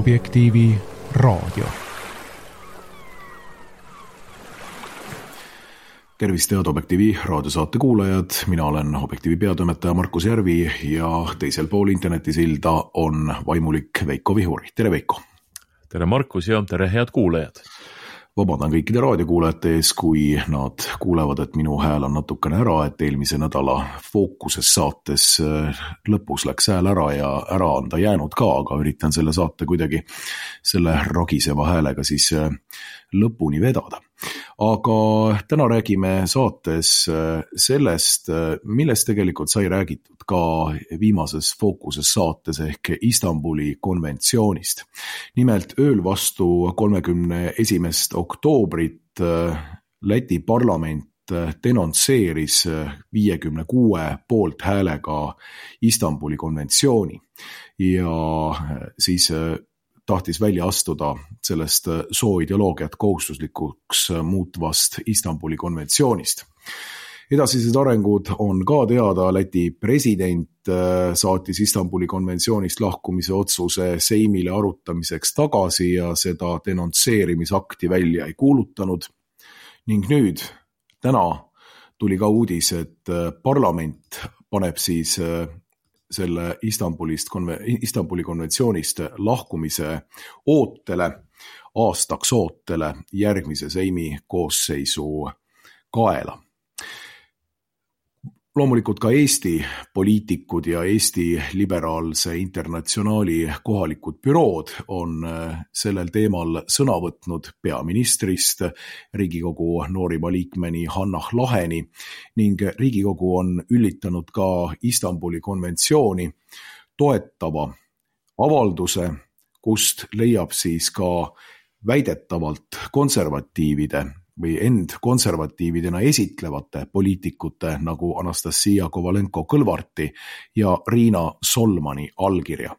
Objektiivi raadio. Tervist, head Objektiivi raadiosaate kuulajad. Mina olen Objektiivi peatoimetaja Markus Järvi ja teisel pool internetisilda on vaimulik Veiko Vihur. Tere Veiko! Tere Markus ja tere head kuulajad! Vabandan kõikide raadiokuulajate ees, kui nad kuulevad, et minu hääl on natukene ära, et eelmise nädala Fookuses saates lõpus läks hääl ära ja ära on ta jäänud ka, aga üritan selle saate kuidagi selle ragiseva häälega siis lõpuni vedada. Aga täna räägime saates sellest, millest tegelikult sai räägitud ka viimases Fookuses saates ehk Istanbuli konventsioonist. Nimelt ööl vastu 31. oktoobrit Läti parlament denonsseeris 56 poolthäälega Istanbuli konventsiooni ja siis tahtis välja astuda sellest sooideoloogiat kohustuslikuks muutvast Istanbuli konventsioonist. Edasised arengud on ka teada. Läti president saatis Istanbuli konventsioonist lahkumise otsuse Seimile arutamiseks tagasi ja seda denonsseerimisakti välja ei kuulutanud. Ning nüüd, täna tuli ka uudis, et parlament paneb siis selle Istanbuli konventsioonist lahkumise aastaks ootele järgmise Seimi koosseisu kaela. Loomulikult ka Eesti poliitikud ja Eesti liberaalse internatsionaali kohalikud bürood on sellel teemal sõna võtnud peaministrist Riigikogu noorima liikmeni Hannah Laheni ning Riigikogu on üllitanud ka Istanbuli konventsiooni toetava avalduse, kust leiab siis ka väidetavalt konservatiivide või end konservatiividena esitlevate poliitikute nagu Anastasia Kovalenko-Kõlvarti ja Riina Solmani allkirja.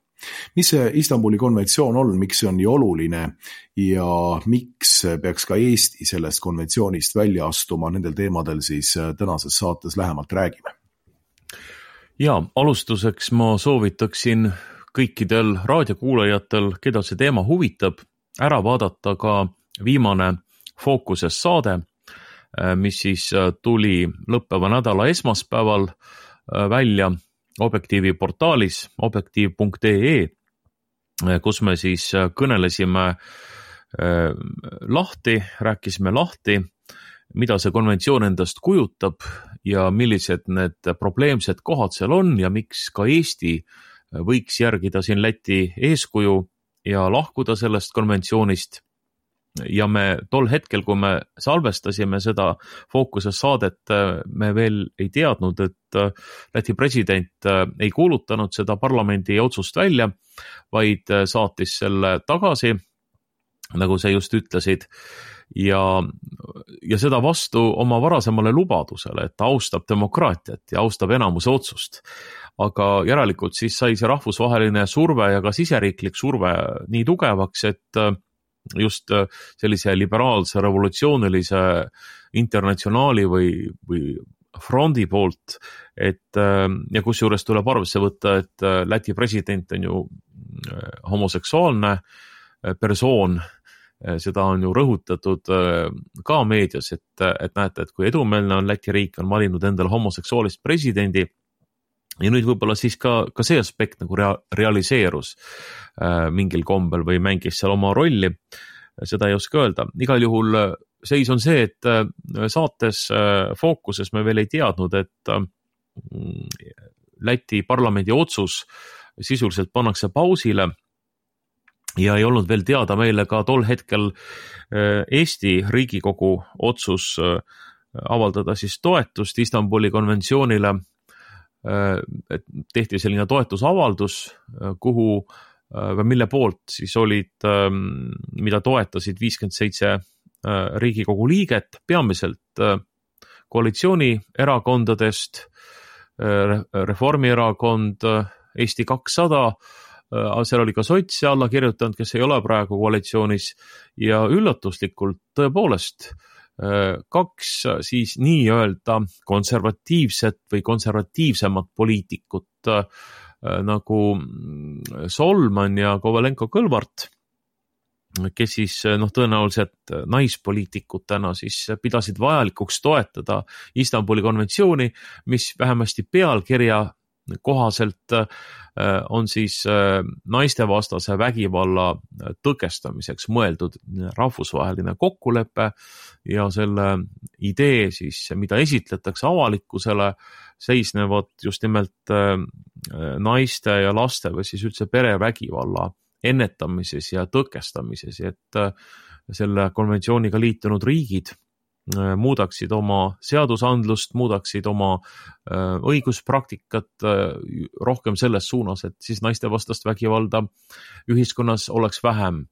Mis see Istanbuli konventsioon on, miks see on nii oluline ja miks peaks ka Eesti sellest konventsioonist välja astuma, nendel teemadel siis tänases saates lähemalt räägime. Ja alustuseks ma soovitaksin kõikidel raadiokuulajatel, keda see teema huvitab, ära vaadata ka viimane Fookuses saade, mis siis tuli lõppeva nädala esmaspäeval välja Objektiivi portaalis objektiiv.ee, kus me siis kõnelesime rääkisime lahti, mida see konventsioon endast kujutab ja millised need probleemsed kohad seal on ja miks ka Eesti võiks järgida siin Läti eeskuju ja lahkuda sellest konventsioonist. Ja me tol hetkel, kui me salvestasime seda Fookuses saadet, me veel ei teadnud, et Läti president ei kuulutanud seda parlamendi otsust välja, vaid saatis selle tagasi, nagu sa just ütlesid, ja seda vastu oma varasemale lubadusele, et ta austab demokraatiat ja austab enamuse otsust. Aga järelikult siis sai see rahvusvaheline surve ja ka siseriiklik surve nii tugevaks, et just sellise liberaalse revolutsioonilise internatsionaali või frondi poolt, ja kusjuures tuleb arvesse võtta, et Läti president on ju homoseksuaalne persoon, seda on ju rõhutatud ka meedias, et näete, et kui edumeelne on Läti riik, on valinud endale homoseksuaalist presidendi. Ja nüüd võib-olla siis ka see aspekt nagu realiseerus mingil kombel või mängis seal oma rolli, seda ei oska öelda. Igal juhul seis on see, et saates Fookuses me veel ei teadnud, et Läti parlamendi otsus sisuliselt pannakse pausile ja ei olnud veel teada meile ka tol hetkel Eesti Riigikogu otsus avaldada siis toetust Istanbuli konventsioonile. Tehti selline toetusavaldus, mille poolt siis olid, mida toetasid 57 Riigikogu liiget, peamiselt koalitsioonierakondadest, Reformierakond, Eesti 200, seal oli ka sotse alla kirjutanud, kes ei ole praegu koalitsioonis ja üllatuslikult tõepoolest kaks siis nii-öelda konservatiivset või konservatiivsemat poliitikut nagu Solman ja Kovalenko-Kõlvart, kes siis tõenäoliselt naispoliitikutena siis pidasid vajalikuks toetada Istanbuli konventsiooni, mis vähemasti pealkirja kohaselt on siis naistevastase vägivalla tõkestamiseks mõeldud rahvusvaheline kokkulepe ja selle idee siis, mida esitletakse avalikkusele, seisnevad just nimelt naiste ja laste või siis üldse perevägivalla ennetamises ja tõkestamises, et selle konventsiooniga liitunud riigid muudaksid oma seadusandlust, muudaksid oma õiguspraktikat rohkem selles suunas, et siis naistevastast vägivalda ühiskonnas oleks vähem.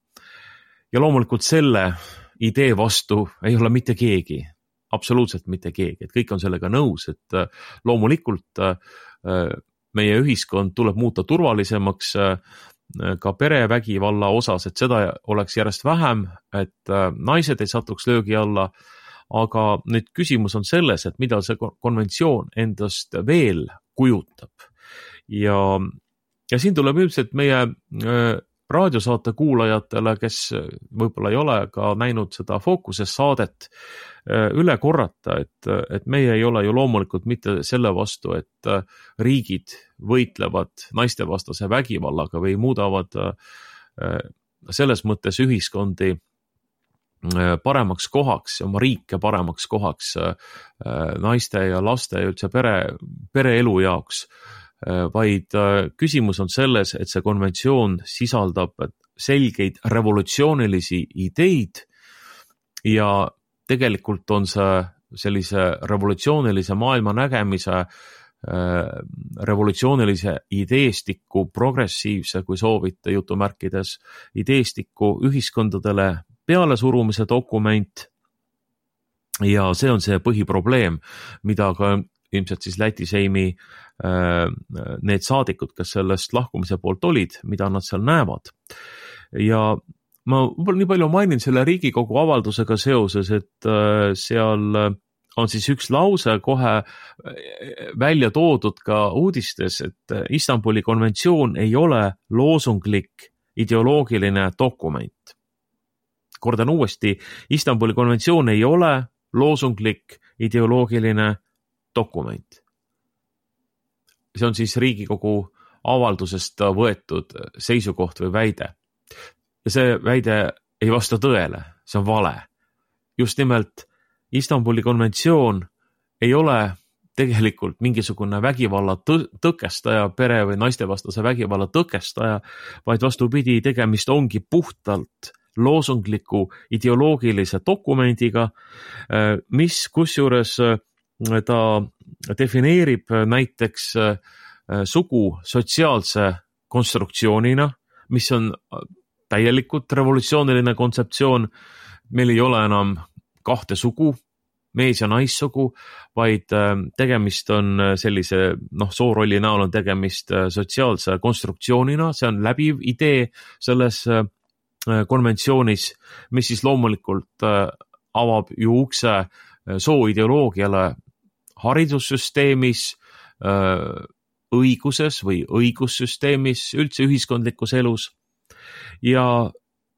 Ja loomulikult selle idee vastu ei ole mitte keegi, absoluutselt mitte keegi, et kõik on sellega nõus, et loomulikult meie ühiskond tuleb muuta turvalisemaks ka perevägivalla osas, et seda oleks järjest vähem, et naised ei satuks löögi alla, aga nüüd küsimus on selles, et mida see konventsioon endast veel kujutab. Ja siin tuleb ilmselt meie raadiosaate kuulajatele, kes võib-olla ei ole ka näinud seda Fookuses saadet, üle korrata, et meie ei ole ju loomulikult mitte selle vastu, et riigid võitlevad naistevastase vägivallaga või muudavad selles mõttes ühiskondi paremaks kohaks, oma riike paremaks kohaks naiste ja laste ja üldse pereelu jaoks, vaid küsimus on selles, et see konventsioon sisaldab selgeid revolutsioonilisi ideid ja tegelikult on see sellise revolutsioonilise maailma nägemise, revolutsioonilise ideestiku, progressiivse, kui soovite jutumärkides, ideestiku ühiskondadele pealesurumise dokument ja see on see põhiprobleem, mida ka ilmselt siis Läti Seimi need saadikud, kes sellest lahkumise poolt olid, mida nad seal näevad. Ja ma võib-olla nii palju mainin selle Riigikogu avaldusega seoses, et seal on siis üks lause kohe välja toodud ka uudistes, et Istanbuli konventsioon ei ole loosunglik ideoloogiline dokument. Kordan uuesti, Istanbuli konventsioon ei ole loosunglik ideoloogiline dokument. See on siis Riigikogu avaldusest võetud seisukoht või väide. Ja see väide ei vasta tõele, see on vale. Just nimelt Istanbuli konventsioon ei ole tegelikult mingisugune vägivalla tõkestaja, pere või naistevastase vägivalla tõkestaja, vaid vastupidi, tegemist ongi puhtalt loosungliku ideoloogilise dokumendiga, mis kusjuures ta defineerib näiteks sugu sotsiaalse konstruktsioonina, mis on täielikult revolutsiooniline kontseptsioon. Meil ei ole enam kahte sugu, mees- ja naissugu, vaid tegemist on sellise, soorolli näol on tegemist sotsiaalse konstruktsioonina, see on läbiv idee selles konventsioonis, mis siis loomulikult avab ju ukse sooideoloogiale haridussüsteemis, õiguses või õigussüsteemis, üldse ühiskondlikus elus ja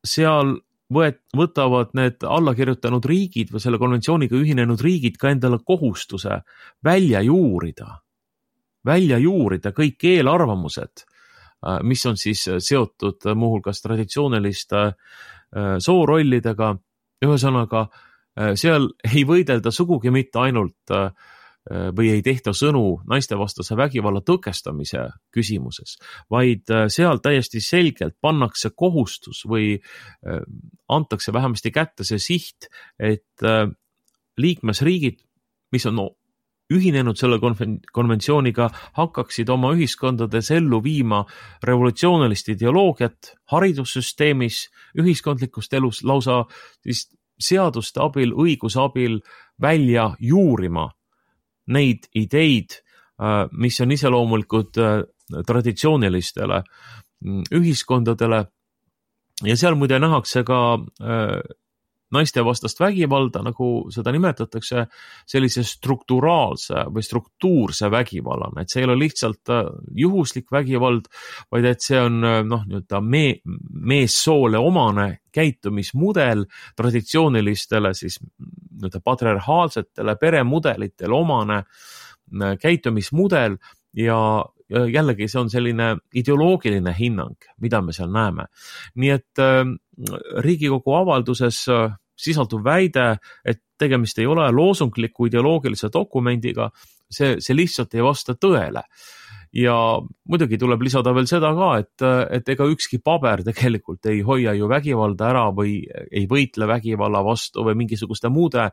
seal võtavad need allakirjutanud riigid või selle konventsiooniga ühinenud riigid ka endale kohustuse välja juurida kõik eelarvamused, mis on siis seotud muuhulgas traditsiooniliste soorollidega. Ühesõnaga, seal ei võidelda sugugi mitte ainult või ei tehta sõnu naistevastase vägivalla tõkestamise küsimuses, vaid seal täiesti selgelt pannakse kohustus või antakse vähemasti kätte see siht, et liikmesriigid, mis on ühinenud selle konventsiooniga, hakkaksid oma ühiskondades ellu viima revolutsioonilist ideoloogiat haridussüsteemis, ühiskondlikust elus, lausa siis seaduste abil, õiguse abil välja juurima neid ideid, mis on iseloomulikud traditsioonilistele ühiskondadele ja seal muide nähakse ka naistevastast vägivalda, nagu seda nimetatakse, sellise strukturaalse või struktuurse vägivallana, et see ei ole lihtsalt juhuslik vägivald, vaid et see on meessoole omane käitumismudel, traditsioonilistele siis patriarhaalsetele peremudelitele omane käitumismudel ja jällegi see on selline ideoloogiline hinnang, mida me seal näeme. Nii et Riigikogu avalduses sisaldub väide, et tegemist ei ole loosungliku ideoloogilise dokumendiga, see lihtsalt ei vasta tõele. Ja muidugi tuleb lisada veel seda ka, et ega ükski paber tegelikult ei hoia ju vägivalda ära või ei võitle vägivalla vastu või mingisuguste muude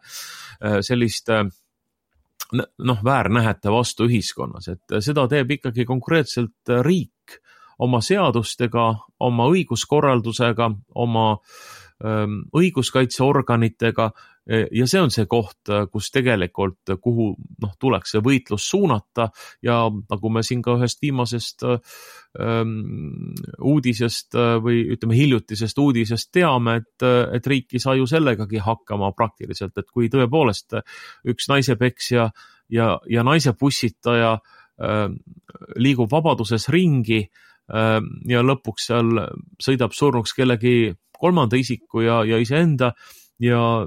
selliste väärnähete vastu ühiskonnas, et seda teeb ikkagi konkreetselt riik oma seadustega, oma õiguskorraldusega, oma õiguskaitseorganitega ja see on see koht, kus tegelikult, kuhu tuleks see võitlus suunata ja nagu me siin ka ühest viimasest uudisest või ütleme hiljutisest uudisest teame, et riik ei saa ju sellegagi hakkama praktiliselt, et kui tõepoolest üks naisepeksja ja naise pussitaja liigub vabaduses ringi ja lõpuks seal sõidab surnuks kellegi kolmanda isiku ja iseenda ja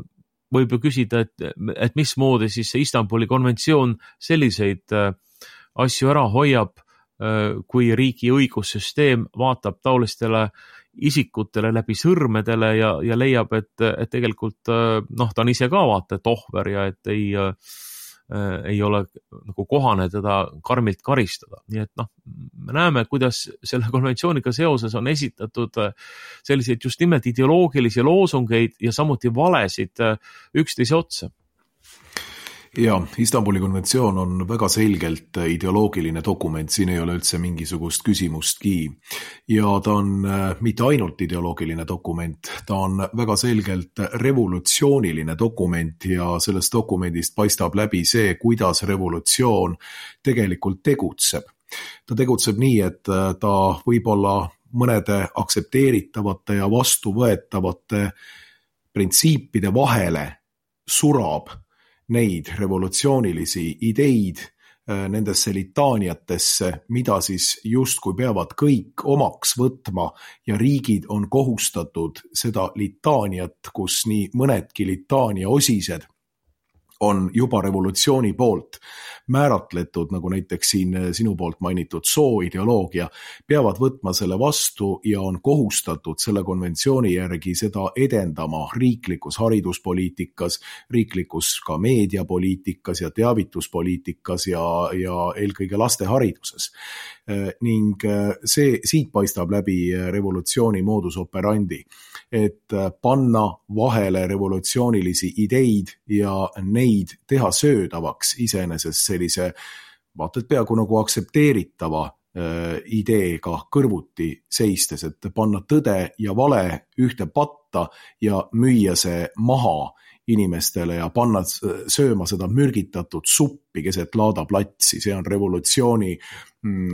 võib ju küsida, et mismoodi siis see Istanbuli konventsioon selliseid asju ära hoiab, kui riigi õigussüsteem vaatab taolistele isikutele läbi sõrmedele ja leiab, et tegelikult ta on ise ka vaata, et ohver ja et ei ole nagu kohane teda karmilt karistada. Nii et me näeme, kuidas selle konventsiooniga seoses on esitatud selliseid just nimelt ideoloogilisi loosungeid ja samuti valesid üksteise otsa. Ja, Istanbuli konventsioon on väga selgelt ideoloogiline dokument, siin ei ole üldse mingisugust küsimustki. Ja ta on mitte ainult ideoloogiline dokument, ta on väga selgelt revolutsiooniline dokument ja sellest dokumendist paistab läbi see, kuidas revolutsioon tegelikult tegutseb. Ta tegutseb nii, et ta võib-olla mõnede aktsepteeritavate ja vastuvõetavate printsiipide vahele surab neid revolutsioonilisi ideid nendesse litaaniatesse, mida siis justkui peavad kõik omaks võtma ja riigid on kohustatud seda litaaniat, kus nii mõnedki litaania osised on juba revolutsiooni poolt määratletud, nagu näiteks siin sinu poolt mainitud sooideoloogia, peavad võtma selle vastu ja on kohustatud selle konventsiooni järgi seda edendama riiklikus hariduspoliitikas, riiklikus ka meediapoliitikas ja teavituspoliitikas ja eelkõige lastehariduses. Ning siit paistab läbi revolutsiooni modus operandi, et panna vahele revolutsioonilisi ideid ja neid teha söödavaks iseenesest sellise vaata, et peaaegu nagu aktsepteeritava ideega kõrvuti seistes, et panna tõde ja vale ühte patta ja müüa see maha inimestele ja panna sööma seda mürgitatud suppi keset laadaplatsi. See on revolutsiooni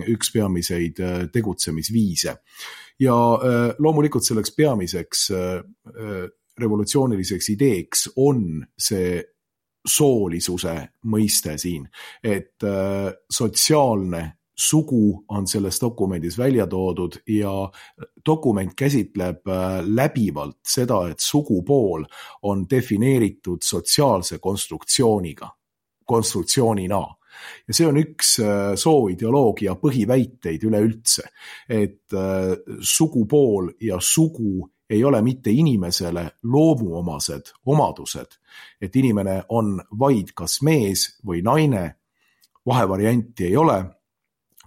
üks peamiseid tegutsemisviise. Ja loomulikult selleks peamiseks revolutsiooniliseks ideeks on see soolisuse mõiste siin, et sotsiaalne sugu on selles dokumendis välja toodud ja dokument käsitleb läbivalt seda, et sugupool on defineeritud sotsiaalse konstruktsioonina. Ja see on üks sooideoloogia põhiväiteid üleüldse, et sugupool ja sugu ei ole mitte inimesele loomuomased omadused, et inimene on vaid kas mees või naine, vahevarianti ei ole,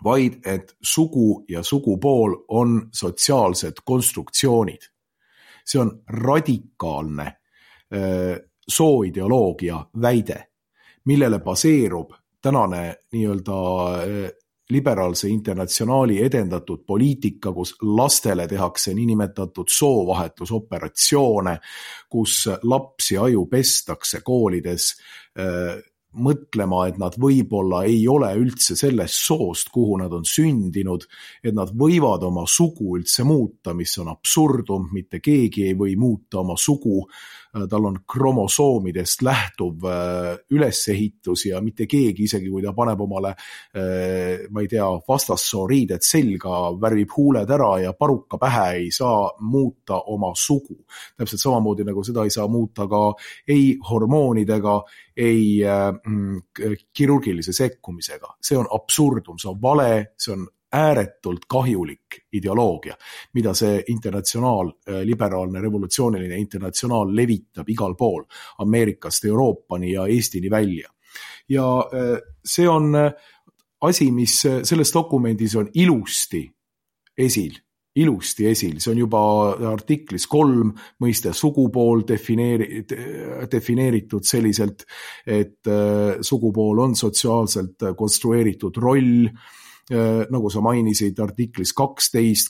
vaid et sugu ja sugupool on sotsiaalsed konstruktsioonid. See on radikaalne sooideoloogia väide, millele baseerub tänane nii-öelda liberaalse internatsionaali edendatud poliitika, kus lastele tehakse niinimetatud soovahetusoperatsioone, kus lapsi aju pestakse koolides mõtlema, et nad võib-olla ei ole üldse sellest soost, kuhu nad on sündinud, et nad võivad oma sugu üldse muuta, mis on absurdum, mitte keegi ei või muuta oma sugu, tal on kromosoomidest lähtuv ülesehitus ja mitte keegi, isegi kui ta paneb omale, ma ei tea, vastassoo riided selga, värvib huuled ära ja paruka pähe, ei saa muuta oma sugu. Täpselt samamoodi nagu seda ei saa muuta ka ei hormoonidega, ei kirurgilise sekkumisega. See on absurdum, see on vale, see on ääretult kahjulik ideoloogia, mida see liberaalne revolutsiooniline internatsionaal levitab igal pool Ameerikast Euroopani ja Eestini välja. Ja see on asi, mis selles dokumendis on ilusti esil. See on juba artiklis 3 mõiste sugupool defineeritud selliselt, et sugupool on sotsiaalselt konstrueeritud roll, nagu sa mainisid, artiklis 12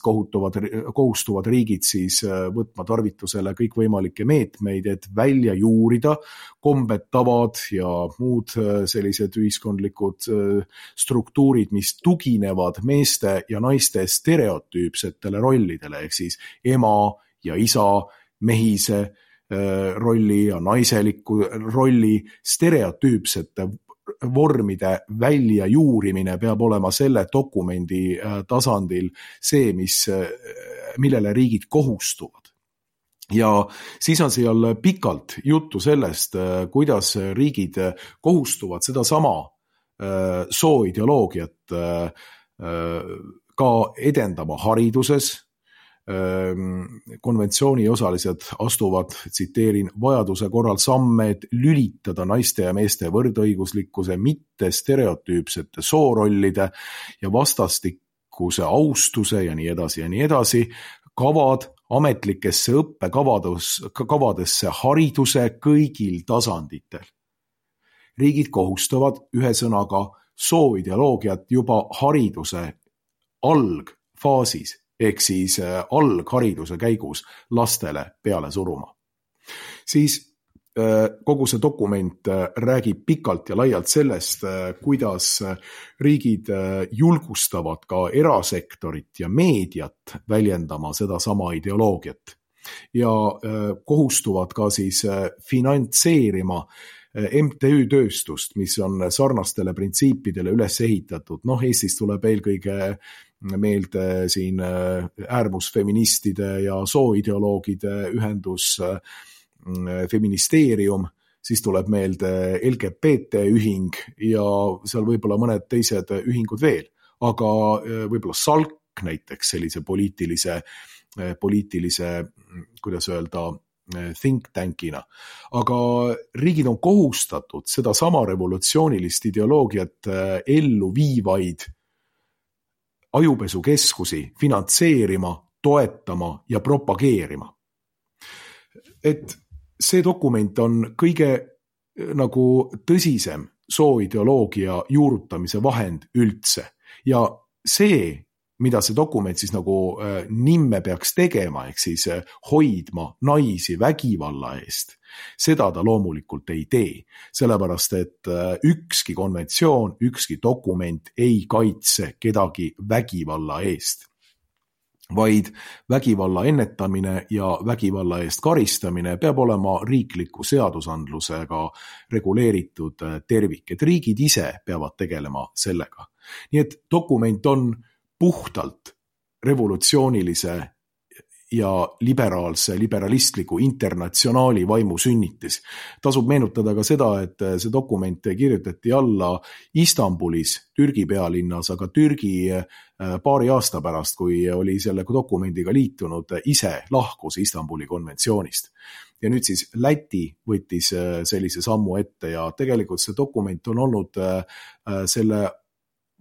kohustuvad riigid siis võtma tarvitusele kõikvõimalikke meetmeid, et välja juurida kombed, tavad ja muud sellised ühiskondlikud struktuurid, mis tuginevad meeste ja naiste stereotüüpsetele rollidele, ehk siis ema ja isa, mehise rolli ja naiseliku rolli stereotüüpsete vormide välja juurimine peab olema selle dokumendi tasandil see, millele riigid kohustuvad. Ja siis on seal pikalt juttu sellest, kuidas riigid kohustuvad seda sama sooideoloogiat ka edendama hariduses. Konventsiooni osalised astuvad, tsiteerin, vajaduse korral samme, et lülitada naiste ja meeste võrdõiguslikkuse mitte stereotüüpsete soorollide ja vastastikuse austuse ja nii edasi, kavad ametlikesse õppekavadesse hariduse kõigil tasanditel. Riigid kohustavad ühesõnaga sooideoloogiat juba hariduse algfaasis, ehk siis alghariduse käigus lastele peale suruma. Siis kogu see dokument räägib pikalt ja laialt sellest, kuidas riigid julgustavad ka erasektorit ja meediat väljendama seda sama ideoloogiat ja kohustuvad ka siis finantseerima MTÜ tööstust, mis on sarnastele printsiipidele üles ehitatud. Eestis tuleb eelkõige meelde siin äärmusfeministide ja sooideoloogide ühendus Feministeerium, siis tuleb meelde LGBT ühing ja seal võib-olla mõned teised ühingud veel, aga võib-olla SALK näiteks sellise poliitilise, kuidas öelda, think tankina. Aga riigid on kohustatud seda sama revolutsioonilist ideoloogiat ellu viivaid ajupesukeskusi finantseerima, toetama ja propageerima. Et see dokument on kõige nagu tõsisem sooideoloogia juurutamise vahend üldse. Ja see, mida see dokument siis nagu nimme peaks tegema, ehk siis hoidma naisi vägivalla eest, seda ta loomulikult ei tee, sellepärast et ükski konventsioon, ükski dokument ei kaitse kedagi vägivalla eest, vaid vägivalla ennetamine ja vägivalla eest karistamine peab olema riikliku seadusandlusega reguleeritud tervik, et riigid ise peavad tegelema sellega. Nii et dokument on puhtalt revolutsioonilise ja liberalistliku internatsionaali vaimu sünnitis. Tasub meenutada ka seda, et see dokument kirjutati alla Istanbulis, Türgi pealinnas, aga Türgi paari aasta pärast, kui oli selle dokumendiga liitunud, ise lahkus Istanbuli konventsioonist. Ja nüüd siis Läti võttis sellise sammu ette ja tegelikult see dokument on olnud selle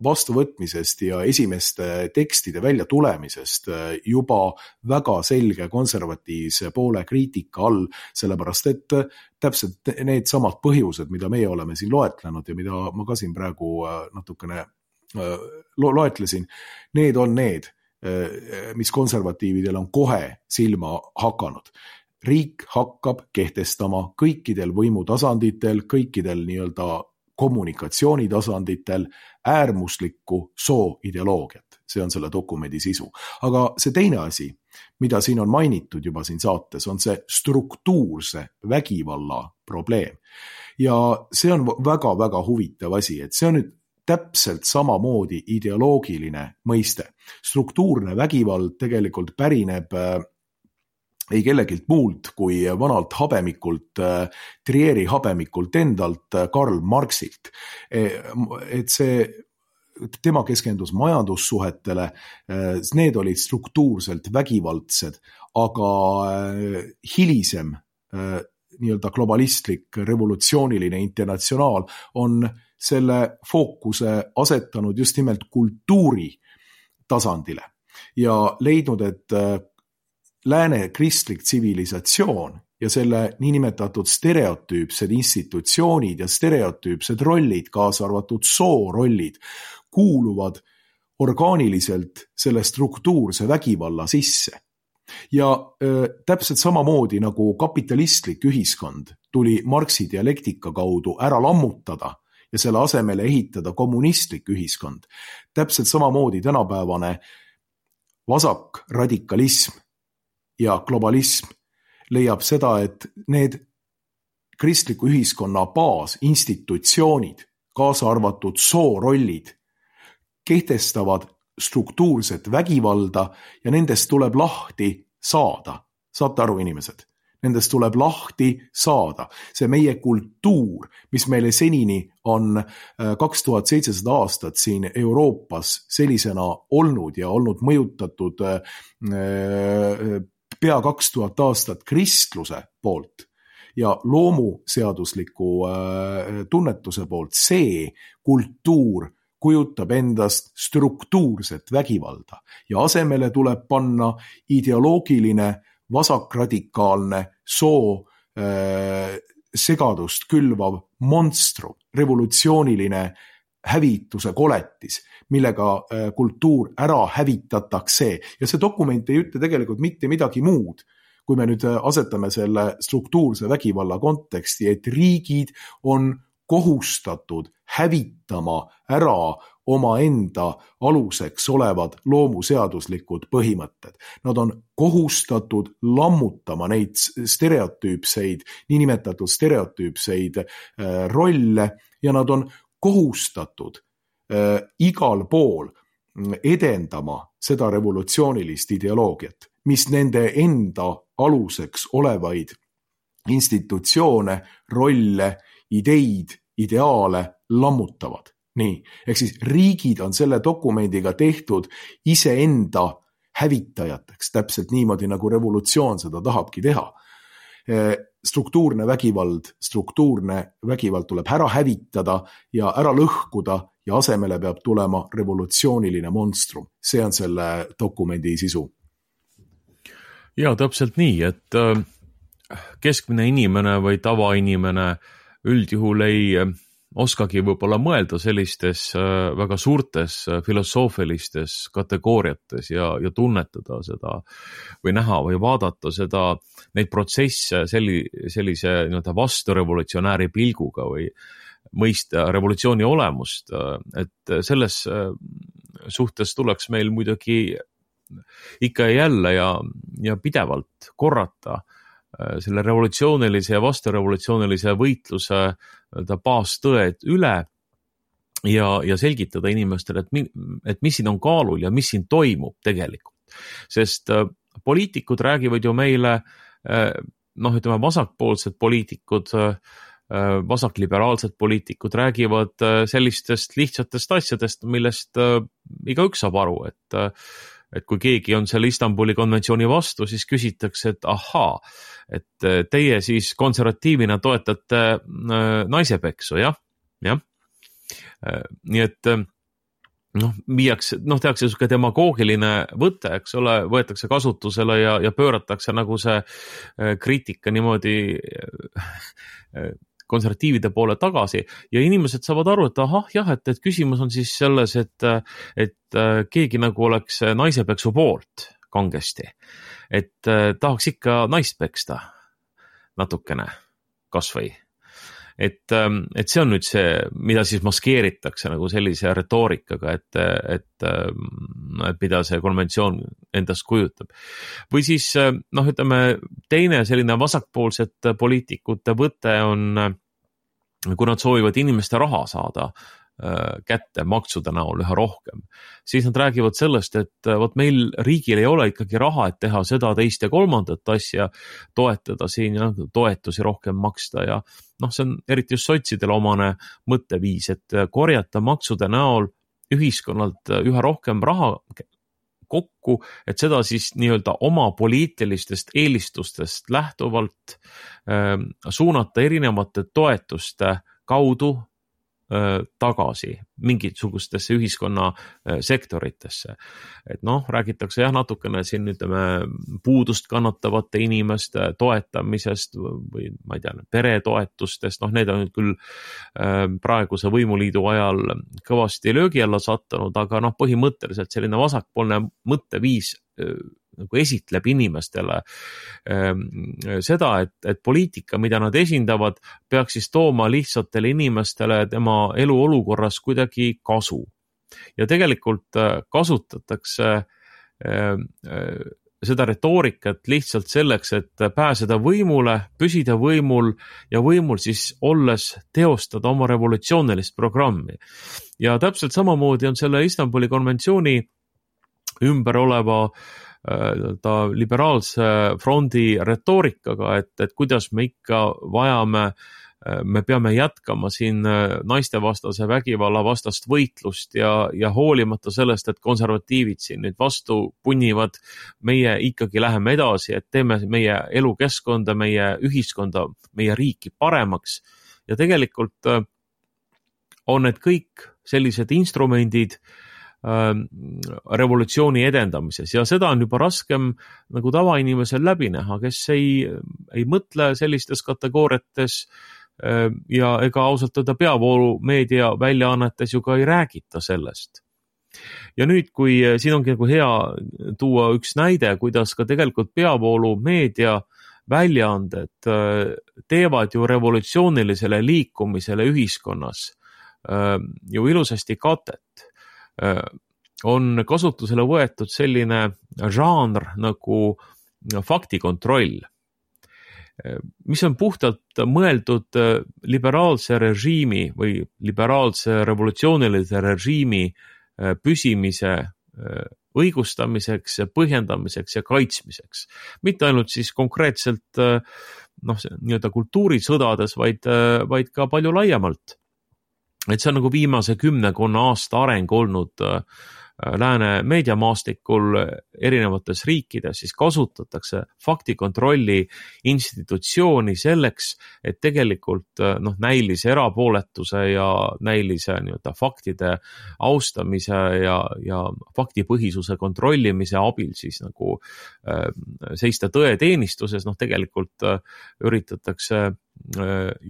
vastuvõtmisest ja esimeste tekstide välja tulemisest juba väga selge konservatiivse poole kriitika all, sellepärast et täpselt need samad põhjused, mida meie oleme siin loetlenud ja mida ma ka siin praegu natukene loetlesin, need on need, mis konservatiividel on kohe silma hakanud. Riik hakkab kehtestama kõikidel võimutasanditel, kõikidel nii-öelda kommunikatsioonitasanditel äärmuslikku sooideoloogiat. See on selle dokumendi sisu. Aga see teine asi, mida siin on mainitud juba siin saates, on see struktuurse vägivalla probleem. Ja see on väga-väga huvitav asi, et see on nüüd täpselt samamoodi ideoloogiline mõiste. Struktuurne vägivald tegelikult pärineb ei kellegilt muult kui vanalt habemikult, Trieri habemikult endalt, Karl Marxilt. Et see, tema keskendus majandussuhetele, need olid struktuurselt vägivaldsed, aga hilisem nii-öelda globalistlik revolutsiooniline internatsionaal on selle fookuse asetanud just nimelt kultuuri tasandile ja leidnud, et lääne kristlik tsivilisatsioon ja selle niinimetatud stereotüüpsed institutsioonid ja stereotüüpsed rollid, kaasa arvatud soorollid, kuuluvad orgaaniliselt selle struktuurse vägivalla sisse. Ja täpselt samamoodi nagu kapitalistlik ühiskond tuli Marxi dialektika kaudu ära lammutada ja selle asemele ehitada kommunistlik ühiskond. Täpselt samamoodi tänapäevane vasak radikalism ja globalism leiab seda, et need kristliku ühiskonna baasinstitutsioonid, kaasa arvatud soorollid, kehtestavad struktuurset vägivalda ja nendest tuleb lahti saada. Saate aru, inimesed? Nendest tuleb lahti saada. See meie kultuur, mis meile senini on 2700 aastat siin Euroopas sellisena olnud ja olnud mõjutatud pea 2000 aastat kristluse poolt ja loomuseadusliku tunnetuse poolt, see kultuur kujutab endast struktuurset vägivalda ja asemele tuleb panna ideoloogiline vasakradikaalne soo segadust külvav monstrum, revolutsiooniline hävituse koletis, millega kultuur ära hävitatakse. Ja see dokument ei ütle tegelikult mitte midagi muud, kui me nüüd asetame selle struktuurse vägivalla konteksti, et riigid on kohustatud hävitama ära omaenda aluseks olevad loomuseaduslikud põhimõtted. Nad on kohustatud lammutama neid stereotüüpseid, niinimetatud stereotüüpseid rolle ja nad on kohustatud igal pool edendama seda revolutsioonilist ideoloogiat, mis nende enda aluseks olevaid institutsioone, rolle, ideid, ideaale lammutavad. Nii, ehk siis riigid on selle dokumendiga tehtud iseenda hävitajateks, täpselt niimoodi nagu revolutsioon seda tahabki teha. Struktuurne vägivald tuleb ära hävitada ja ära lõhkuda ja asemele peab tulema revolutsiooniline monstrum. See on selle dokumendi sisu. Ja, täpselt nii, et keskmine inimene või tavainimene üldjuhul ei oskagi võib-olla mõelda sellistes väga suurtes filosoofilistes kategooriates ja tunnetada seda või näha või vaadata seda, neid protsesse sellise vasturevolutsionääri pilguga või mõista revolutsiooni olemust, et selles suhtes tuleks meil muidugi ikka ja jälle ja pidevalt korrata selle revolutsioonilise ja vasturevolutsioonilise võitluse baastõed üle ja selgitada inimestele, et mis siin on kaalul ja mis siin toimub tegelikult. Sest poliitikud räägivad ju meile, vasakpoolsed poliitikud, vasakliberaalsed poliitikud räägivad sellistest lihtsatest asjadest, millest igaüks saab aru, et kui keegi on selle Istanbuli konventsiooni vastu, siis küsitakse, et ahaa, et teie siis konservatiivina toetate naisepeksu, jah. Nii et tehakse selline demagoogiline võte, eks ole, võetakse kasutusele ja pööratakse nagu see kriitika niimoodi konservatiivide poole tagasi ja inimesed saavad aru, et et küsimus on siis selles, et keegi nagu oleks naisepeksu poolt kangesti, et tahaks ikka naist peksta natukene, kasvõi. et see on nüüd see, mida siis maskeeritakse nagu sellise retoorikaga, et mida see konventsioon endast kujutab. Või siis, ütleme, teine selline vasakpoolsete poliitikute võte on, kui nad soovivad inimeste raha saada kätte maksude näol üha rohkem, siis nad räägivad sellest, et vot meil riigil ei ole ikkagi raha, et teha seda, teist ja kolmandat asja, toetada siin ja toetusi rohkem maksta ja see on eriti just sotsidele omane mõtteviis, et korjata maksude näol ühiskonnalt üha rohkem raha kokku, et seda siis nii-öelda oma poliitilistest eelistustest lähtuvalt suunata erinevate toetuste kaudu tagasi mingisugustesse ühiskonna sektoritesse. Et räägitakse natukene siin puudust kannatavate inimeste toetamisest või ma ei tea, peretoetustest, need on küll praeguse võimuliidu ajal kõvasti löögi alla sattunud, aga põhimõtteliselt selline vasakpoolne mõtteviis nagu esitleb inimestele seda, et poliitika, mida nad esindavad, peaks siis tooma lihtsatele inimestele tema eluolukorras kuidagi kasu. Ja tegelikult kasutatakse seda retoorikat lihtsalt selleks, et pääseda võimule, püsida võimul ja võimul siis olles teostada oma revolutsioonilist programmi. Ja täpselt samamoodi on selle Istanbuli konventsiooni ümber oleva liberaalse frondi retoorikaga, et kuidas me ikka me peame jätkama siin naistevastase vägivalla vastast võitlust ja hoolimata sellest, et konservatiivid siin nüüd vastu punnivad, meie ikkagi läheme edasi, et teeme meie elukeskkonda, meie ühiskonda, meie riiki paremaks ja tegelikult on need kõik sellised instrumendid revolutsiooni edendamises ja seda on juba raskem nagu tavainimesel läbi näha, kes ei mõtle sellistes kategooriates ja ega ausalt öelda peavoolu meedia väljaannetes ju ka ei räägita sellest. Ja nüüd, kui siin ongi nagu hea tuua üks näide, kuidas ka tegelikult peavoolu meedia väljaanded teevad ju revolutsioonilisele liikumisele ühiskonnas ju ilusasti katet. On kasutusele võetud selline žanr nagu faktikontroll, mis on puhtalt mõeldud liberaalse režiimi või liberaalse revolutsioonilise režiimi püsimise õigustamiseks, põhjendamiseks ja kaitsmiseks. Mitte ainult siis konkreetselt nii-öelda kultuurisõdades, vaid ka palju laiemalt. Et see on nagu viimase 10 aasta areng olnud lääne meediamaastikul erinevates riikides, siis kasutatakse faktikontrolli institutsiooni selleks, et tegelikult näilise erapooletuse ja näilise nii-öelda faktide austamise ja faktipõhisuse kontrollimise abil siis nagu seista tõeteenistuses, tegelikult üritatakse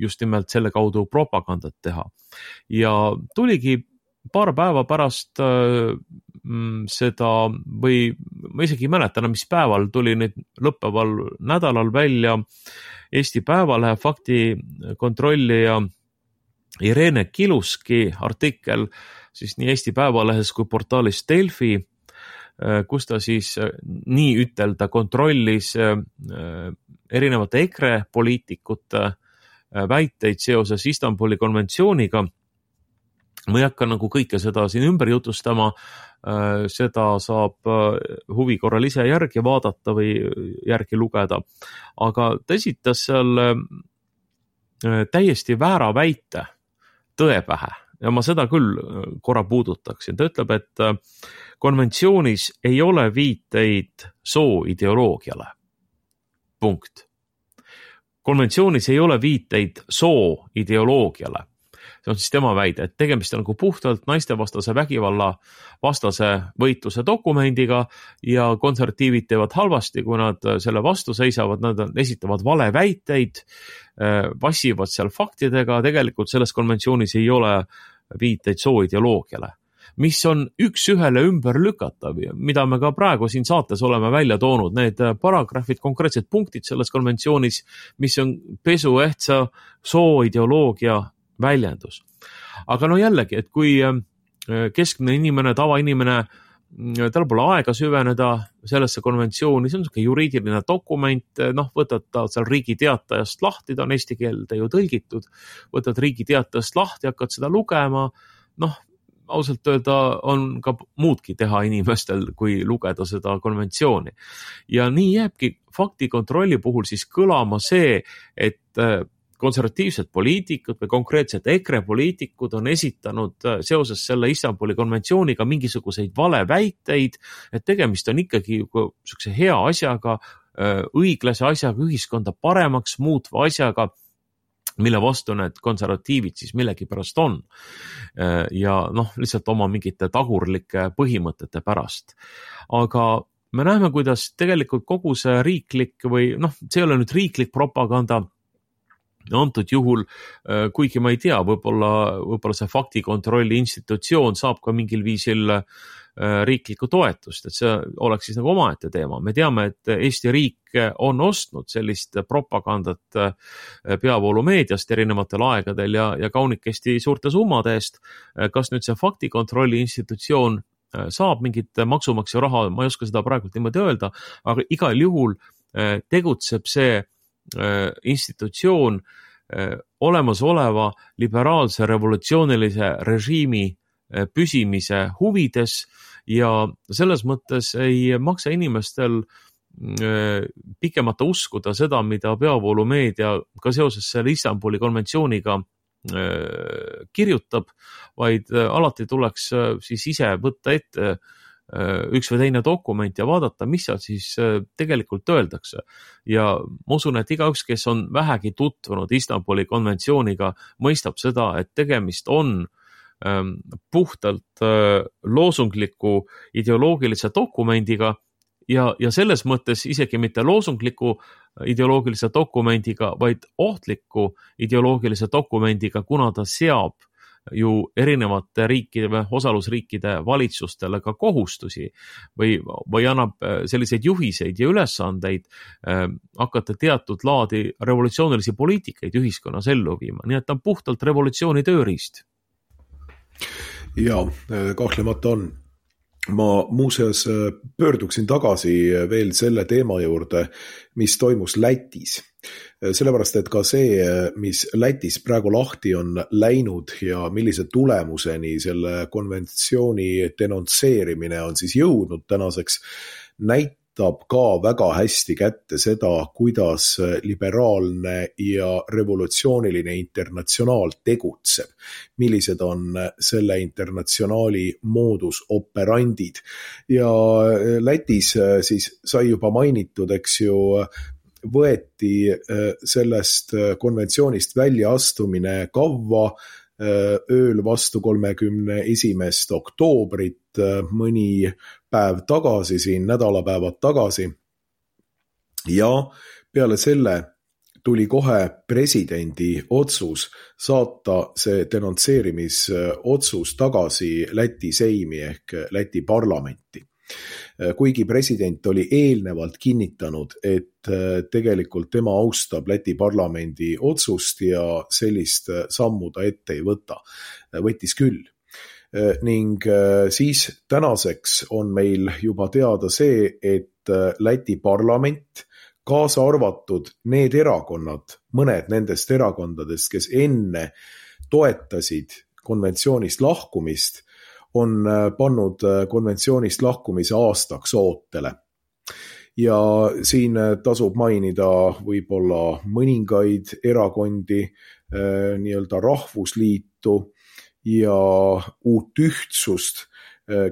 just nimelt selle kaudu propagandat teha. Ja tuligi paar päeva pärast seda või ma isegi ei mäleta, mis päeval tuli nüüd lõppeval nädalal välja Eesti Päevalehe faktikontrollija Irene Kiluski artikkel siis nii Eesti Päevalehes kui portaalis Delfi, kus ta siis nii ütelda kontrollis erinevate EKRE poliitikute väiteid seoses Istanbuli konventsiooniga. Ma ei hakka nagu kõike seda siin ümber jutustama, seda saab huvi korral ise järgi vaadata või järgi lugeda, aga ta esitas seal täiesti väära väite tõe pähe ja ma seda küll korra puudutaksin. Ta ütleb, et konventsioonis ei ole viiteid sooideoloogiale. Punkt. Konventsioonis ei ole viiteid sooideoloogiale. See on siis tema väide, et tegemist on nagu puhtalt naistevastase vägivalla vastase võitluse dokumendiga ja konservatiivid teevad halvasti, kui nad selle vastu seisavad, nad esitavad valeväiteid, vassivad seal faktidega, tegelikult selles konventsioonis ei ole viiteid sooideoloogiale. mis on üks-ühele ümber lükatav, mida me ka praegu siin saates oleme välja toonud, need paragrahvid, konkreetsed punktid selles konventsioonis, mis on pesuehtsa sooideoloogia väljendus. Aga no jällegi, et kui keskmine inimene, tavainimene, tal pole aega süveneda sellesse konventsiooni, see on selline juriidiline dokument, võtad ta seal Riigi Teatajast lahti, ta on eesti keelde ju tõlgitud, võtad Riigi Teatajast lahti, hakkad seda lugema, ausalt öelda on ka muudki teha inimestel, kui lugeda seda konventsiooni. Ja nii jääbki faktikontrolli puhul siis kõlama see, et konservatiivsed poliitikud või konkreetselt EKRE poliitikud on esitanud seoses selle Istanbuli konventsiooniga mingisuguseid valeväiteid, et tegemist on ikkagi sellise hea asjaga, õiglase asjaga, ühiskonda paremaks muutva asjaga, mille vastu need konservatiivid siis millegipärast on. Ja lihtsalt oma mingite tagurlike põhimõtete pärast. Aga me näeme, kuidas tegelikult kogu see riiklik või see ei ole nüüd riiklik propaganda, antud juhul, kuigi ma ei tea, võib-olla see faktikontrolli institutsioon saab ka mingil viisil riiklikku toetust, et see oleks siis nagu omaette teema. Me teame, et Eesti riik on ostnud sellist propagandat peavoolumeediast erinevatel aegadel ja kaunikesti suurte summade eest. Kas nüüd see faktikontrolli institutsioon saab mingit maksumaksja raha, ma ei oska seda praegu niimoodi öelda, aga igal juhul tegutseb see institutsioon olemasoleva liberaalse revolutsioonilise režiimi püsimise huvides ja selles mõttes ei maksa inimestel pikemata uskuda seda, mida peavoolumeedia ka seoses selle Istanbuli konventsiooniga kirjutab, vaid alati tuleks siis ise võtta ette üks või teine dokument ja vaadata, mis seal siis tegelikult öeldakse. Ja ma usun, et igaüks, kes on vähegi tutvunud Istanbuli konventsiooniga, mõistab seda, et tegemist on puhtalt loosungliku ideoloogilise dokumendiga ja selles mõttes isegi mitte loosungliku ideoloogilise dokumendiga, vaid ohtliku ideoloogilise dokumendiga, kuna ta seab ju erinevate riikide või osalusriikide valitsustele ka kohustusi või annab selliseid juhiseid ja ülesandeid hakata teatud laadi revolutsioonilisi poliitikaid ühiskonnas ellu viima. Nii et ta on puhtalt revolutsiooni tööriist. Ja, kahtlemata on. Ma muuseas pöörduksin tagasi veel selle teema juurde, mis toimus Lätis. Sellepärast, et ka see, mis Lätis praegu lahti on läinud ja millise tulemuseni selle konventsiooni denonsseerimine on siis jõudnud tänaseks, näitab ka väga hästi kätte seda, kuidas liberaalne ja revolutsiooniline internatsionaal tegutseb. Millised on selle internatsionaali moodus operandid. Ja Lätis siis sai juba mainitud, eks ju, võeti sellest konventsioonist välja astumine kavva ööl vastu 31. oktoobrit, mõni päev tagasi, siin nädalapäevad tagasi. Ja peale selle tuli kohe presidendi otsus saata see denonsseerimisotsus tagasi Läti seimi ehk Läti parlamenti. Kuigi president oli eelnevalt kinnitanud, et tegelikult tema austab Läti parlamendi otsust ja sellist sammu ta ette ei võta. Võttis küll. Ning siis tänaseks on meil juba teada see, et Läti parlament, kaasa arvatud need erakonnad, mõned nendest erakondadest, kes enne toetasid konventsioonist lahkumist, on pannud konventsioonist lahkumise aastaks ootele. Ja siin tasub mainida võib-olla mõningaid erakondi, nii-öelda rahvusliitu ja uut ühtsust,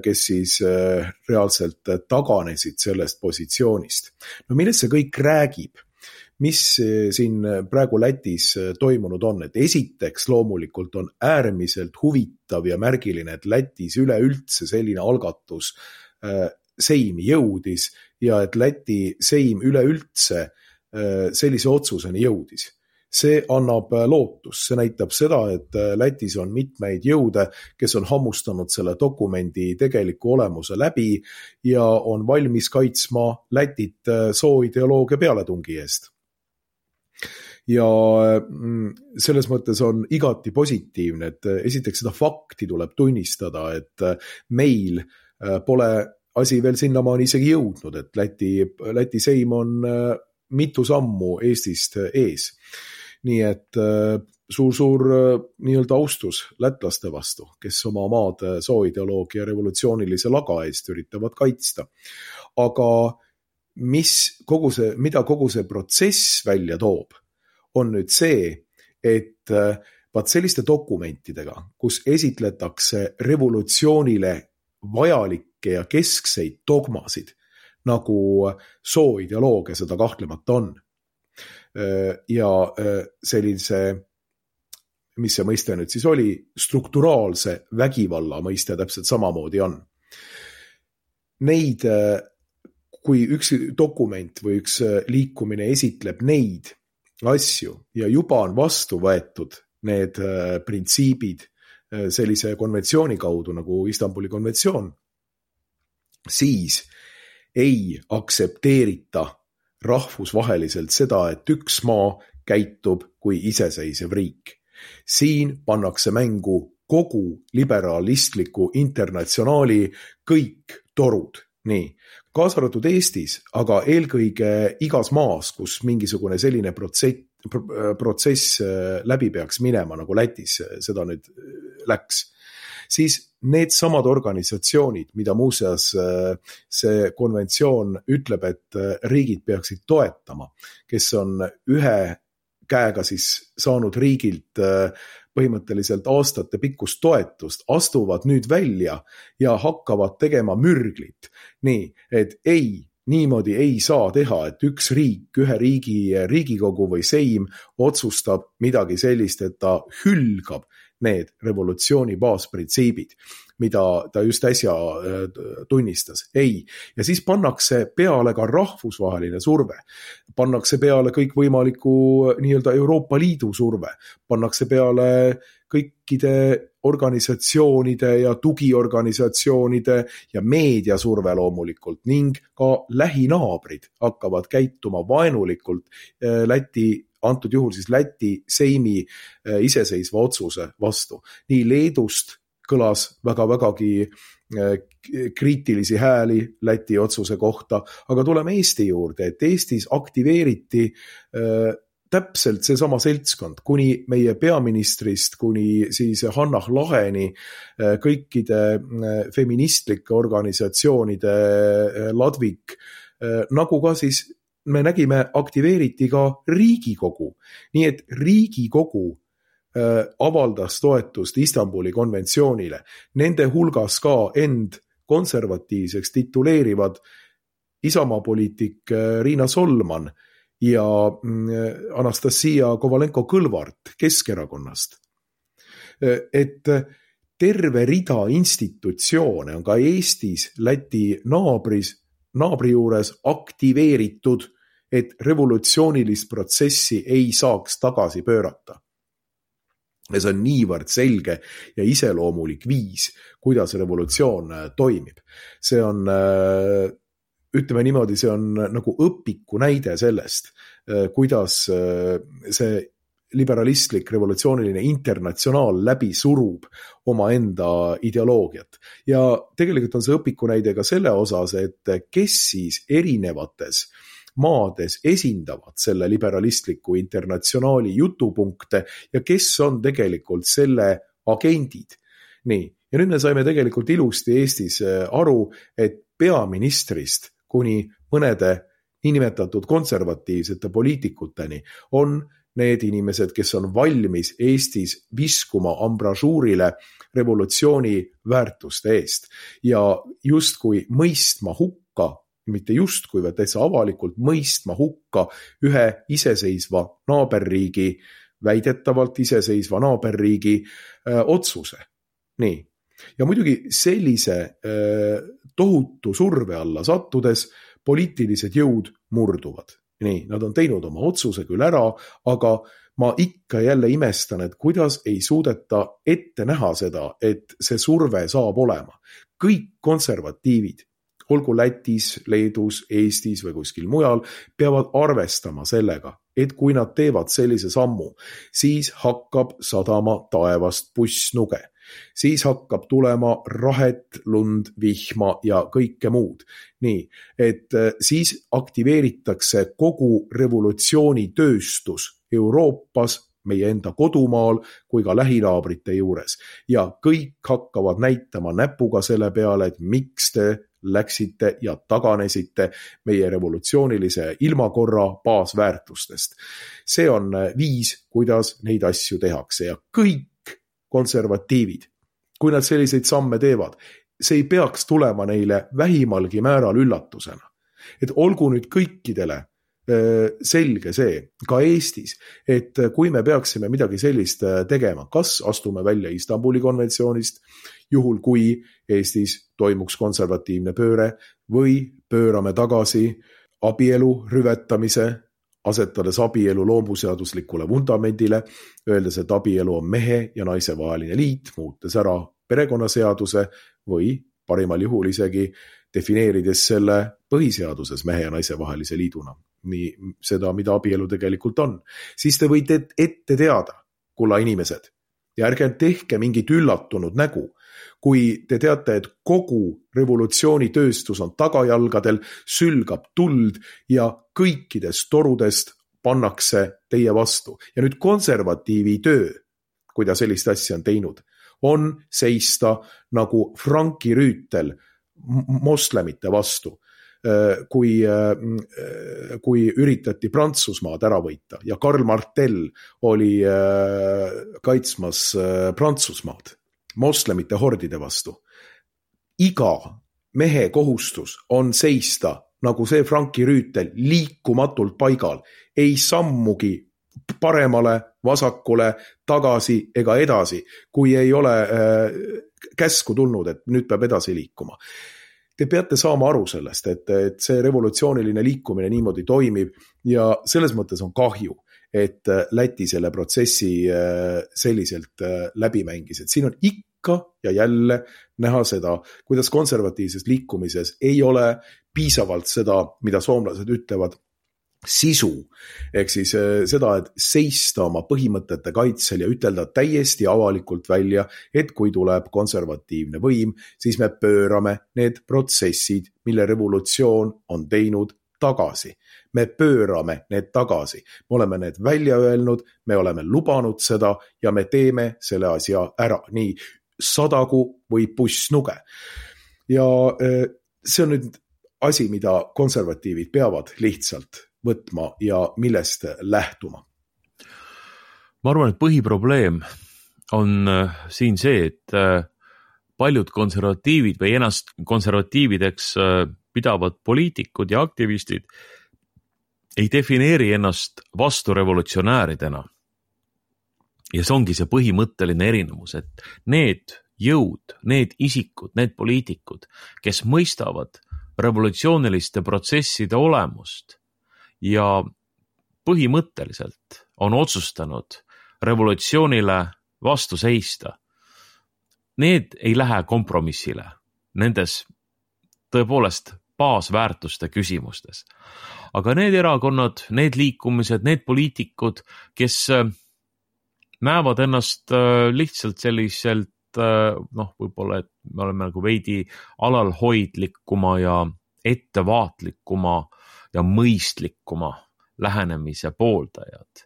kes siis reaalselt taganesid sellest positsioonist. No millest see kõik räägib? Mis siin praegu Lätis toimunud on? Et esiteks loomulikult on äärmiselt huvitav ja märgiline, et Lätis üleüldse selline algatus seimi jõudis ja et Läti seim üleüldse sellise otsuseni jõudis. See annab lootus, see näitab seda, et Lätis on mitmeid jõude, kes on hammustanud selle dokumendi tegeliku olemuse läbi ja on valmis kaitsma Lätit sooideoloogia pealetungi eest. Ja selles mõttes on igati positiivne, et esiteks seda fakti tuleb tunnistada, et meil pole asi veel sinnamaani isegi jõudnud, et Läti seim on mitu sammu Eestist ees. Nii et suur nii-öelda austus lätlaste vastu, kes oma maad sooideoloogia revolutsioonilise laga eest üritavad kaitsta. Aga mida kogu see protsess välja toob, on nüüd see, et vaat selliste dokumentidega, kus esitletakse revolutsioonile vajalikke ja keskseid dogmasid, nagu sooideoloogia seda kahtlemata on. Ja sellise, mis see mõiste nüüd siis oli, strukturaalse vägivalla mõiste täpselt samamoodi on. Neid, kui üks dokument või üks liikumine esitleb neid asju ja juba on vastu võetud need printsiibid sellise konventsiooni kaudu nagu Istanbuli konventsioon, siis ei aktsepteerita rahvusvaheliselt seda, et üks maa käitub kui iseseisev riik. Siin pannakse mängu kogu liberalistliku internatsionaali kõik torud. Nii, kaasa arvatud Eestis, aga eelkõige igas maas, kus mingisugune selline protsess läbi peaks minema, nagu Lätis seda nüüd läks, siis need samad organisatsioonid, mida muuseas see konventsioon ütleb, et riigid peaksid toetama, kes on ühe käega siis saanud riigilt põhimõtteliselt aastate pikkust toetust, astuvad nüüd välja ja hakkavad tegema mürglit. Nii, et niimoodi ei saa teha, et üks riik, ühe riigi riigikogu või seim otsustab midagi sellist, et ta hülgab need revolutsiooni baasprintsiibid, mida ta just äsja tunnistas. Ei. Ja siis pannakse peale ka rahvusvaheline surve. Pannakse peale kõikvõimaliku nii-öelda Euroopa Liidu surve. Pannakse peale kõikide organisatsioonide ja tugiorganisatsioonide ja meediasurve loomulikult ning ka lähinaabrid hakkavad käituma vaenulikult antud juhul siis Läti seimi iseseisva otsuse vastu. Nii Leedust kõlas vägagi kriitilisi hääli Läti otsuse kohta, aga tuleme Eesti juurde, et Eestis aktiveeriti täpselt see sama seltskond, kuni meie peaministrist, kuni siis Hannah Laheni, kõikide feministlike organisatsioonide ladvik, nagu ka siis me nägime, aktiveeriti ka Riigikogu. Nii et Riigikogu avaldas toetust Istanbuli konventsioonile. Nende hulgas ka end konservatiivseks tituleerivad Isamaa poliitik Riina Solman ja Anastasia Kovalenko-Kõlvart Keskerakonnast. Et terve rida institutsioone on ka Eestis Läti naabri juures aktiveeritud, et revolutsioonilist protsessi ei saaks tagasi pöörata. Ja see on niivõrd selge ja iseloomulik viis, kuidas revolutsioon toimib. See on, ütleme niimoodi, see on nagu õpiku näide sellest, kuidas see liberalistlik revolutsiooniline internatsionaal läbi surub omaenda ideoloogiat. Ja tegelikult on see õpiku näide ka selle osas, et kes siis erinevates maades esindavad selle liberalistliku internatsionaali jutupunkte ja kes on tegelikult selle agendid. Nii, ja nüüd me saime tegelikult ilusti Eestis aru, et peaministrist kuni mõnede niinimetatud konservatiivsete poliitikuteni on need inimesed, kes on valmis Eestis viskuma ambrasuurile revolutsiooni väärtuste eest ja justkui mõistma hukka, mitte justkui, vaid täitsa avalikult mõistma hukka ühe iseseisva naaberriigi, väidetavalt iseseisva naaberriigi otsuse. Nii. Ja muidugi sellise tohutu surve alla sattudes poliitilised jõud murduvad. Nii, nad on teinud oma otsuse küll ära, aga ma ikka jälle imestan, et kuidas ei suudeta ette näha seda, et see surve saab olema. Kõik konservatiivid, olgu Lätis, Leedus, Eestis või kuskil mujal, peavad arvestama sellega, et kui nad teevad sellise sammu, siis hakkab sadama taevast pussnuge. Siis hakkab tulema rahet, lund, vihma ja kõike muud. Nii, et siis aktiveeritakse kogu revolutsioonitööstus Euroopas, meie enda kodumaal kui ka lähinaabrite juures. Ja kõik hakkavad näitama näpuga selle peale, et miks te läksite ja taganesite meie revolutsioonilise ilmakorra baasväärtustest. See on viis, kuidas neid asju tehakse ja kõik konservatiivid, kui nad selliseid samme teevad, see ei peaks tulema neile vähimalgi määral üllatusena. Et olgu nüüd kõikidele selge see, ka Eestis, et kui me peaksime midagi sellist tegema, kas astume välja Istanbuli konventsioonist, juhul kui Eestis toimuks konservatiivne pööre või pöörame tagasi abielu rüvetamise, asetades abielu loomuseaduslikule vundamendile, öeldes, et abielu on mehe ja naise vaheline liit, muutes ära perekonnaseaduse või parimal juhul isegi defineerides selle põhiseaduses mehe ja naise vahelise liiduna. Nii seda, mida abielu tegelikult on. Siis te võite ette teada, kulla inimesed, ja ärge tehke mingit üllatunud nägu, kui te teate, et kogu revolutsioonitööstus on tagajalgadel, sülgab tuld ja kõikidest torudest pannakse teie vastu. Ja nüüd konservatiivi töö, kui ta sellist asja on teinud, on seista nagu Franki Rüütel moslemite vastu, kui üritati Prantsusmaad ära võita ja Karl Martel oli kaitsmas Prantsusmaad moslemite hordide vastu. Iga mehe kohustus on seista, nagu see Franki Rüütel, liikumatult paigal, ei sammugi paremale, vasakule, tagasi ega edasi, kui ei ole käsku tulnud, et nüüd peab edasi liikuma. Te peate saama aru sellest, et see revolutsiooniline liikumine niimoodi toimib ja selles mõttes on kahju, et Läti selle protsessi selliselt läbi mängis. Et siin on ikka ja jälle näha seda, kuidas konservatiivses liikumises ei ole piisavalt seda, mida soomlased ütlevad, sisu, ehk siis seda, et seista oma põhimõtete kaitsel ja ütelda täiesti avalikult välja, et kui tuleb konservatiivne võim, siis me pöörame need protsessid, mille revolutsioon on teinud tagasi. Me pöörame need tagasi. Me oleme need välja öelnud, me oleme lubanud seda ja me teeme selle asja ära. Nii sadagu või pussnuge. Ja see on nüüd asi, mida konservatiivid peavad lihtsalt võtma ja millest lähtuma. Ma arvan, et põhiprobleem on siin see, et paljud konservatiivid või ennast konservatiivideks pidavad poliitikud ja aktivistid ei defineeri ennast vasturevolutsionääridena. Ja see ongi see põhimõtteline erinevus, et need jõud, need isikud, need poliitikud, kes mõistavad revolutsiooniliste protsesside olemust ja põhimõtteliselt on otsustanud revolutsioonile vastu seista. Need ei lähe kompromissile nendes tõepoolest baasväärtuste küsimustes. Aga need erakonnad, need liikumised, need poliitikud, kes näevad ennast lihtsalt selliselt, võib-olla, et me oleme nagu veidi alalhoidlikuma ja ettevaatlikuma ja mõistlikuma lähenemise pooldajad.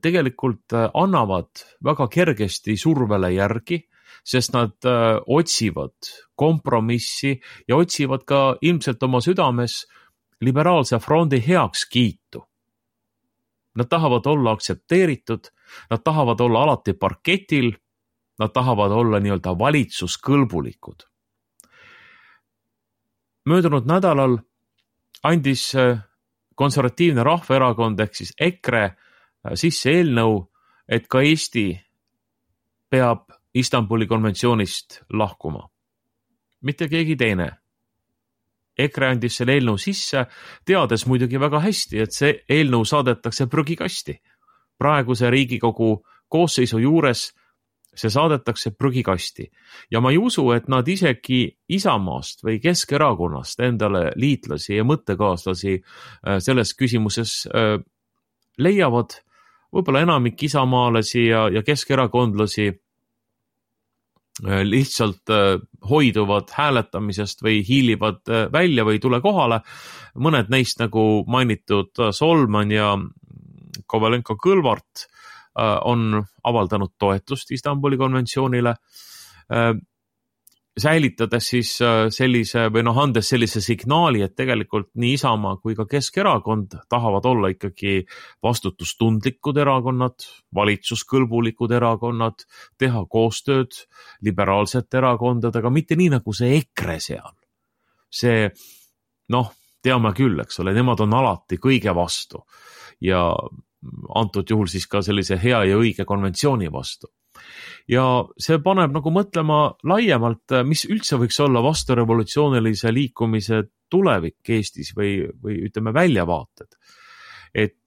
Tegelikult annavad väga kergesti survele järgi, sest nad otsivad kompromissi ja otsivad ka ilmselt oma südames liberaalse frondi heakskiitu. Nad tahavad olla aktsepteeritud, nad tahavad olla alati parketil, nad tahavad olla nii-öelda valitsuskõlbulikud. Möödunud nädalal andis konservatiivne rahvaerakond ehk siis EKRE sisse eelnõu, et ka Eesti peab Istanbuli konventsioonist lahkuma. Mitte keegi teine. EKRE andis selle eelnõu sisse, teades muidugi väga hästi, et see eelnõu saadetakse prügikasti. praeguse Riigikogu koosseisu juures see saadetakse prügikasti. Ja ma ei usu, et nad isegi Isamaast või Keskerakonnast endale liitlasi ja mõttekaaslasi selles küsimuses leiavad. Võib-olla enamik isamaalasi ja keskerakondlasi lihtsalt hoiduvad hääletamisest või hiilivad välja või tule kohale. Mõned neist, nagu mainitud Solman ja Kovalenko-Kõlvart, on avaldanud toetust Istanbuli konventsioonile, säilitades siis sellise või andes sellise signaali, et tegelikult nii Isamaa kui ka Keskerakond tahavad olla ikkagi vastutustundlikud erakonnad, valitsuskõlbulikud erakonnad, teha koostööd liberaalsete erakondadega, mitte nii nagu see EKRE seal. See, teame küll, eks ole, nemad on alati kõige vastu ja antud juhul siis ka sellise hea ja õige konventsiooni vastu. Ja see paneb nagu mõtlema laiemalt, mis üldse võiks olla vasturevolutsioonilise liikumise tulevik Eestis või ütleme väljavaated. Et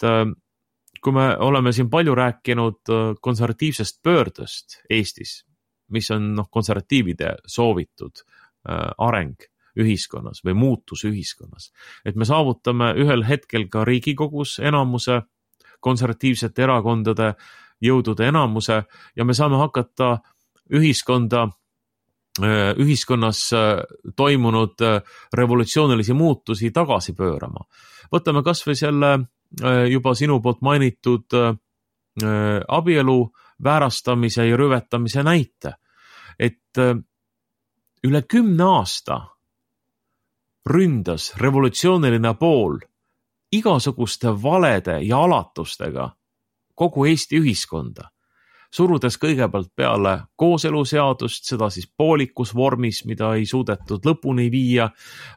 kui me oleme siin palju rääkinud konservatiivsest pöördest Eestis, mis on konservatiivide soovitud areng ühiskonnas või muutus ühiskonnas, et me saavutame ühel hetkel ka Riigikogus enamuse, konservatiivsete erakondade jõudude enamuse ja me saame hakata ühiskonnas toimunud revolutsioonilisi muutusi tagasi pöörama. Võtame kas või selle juba sinu poolt mainitud abielu väärastamise ja rüvetamise näite, et üle 10 aasta ründas revolutsiooniline pool igasuguste valede ja alatustega kogu Eesti ühiskonda, surudes kõigepealt peale kooseluseadust, seda siis poolikus vormis, mida ei suudetud lõpuni viia,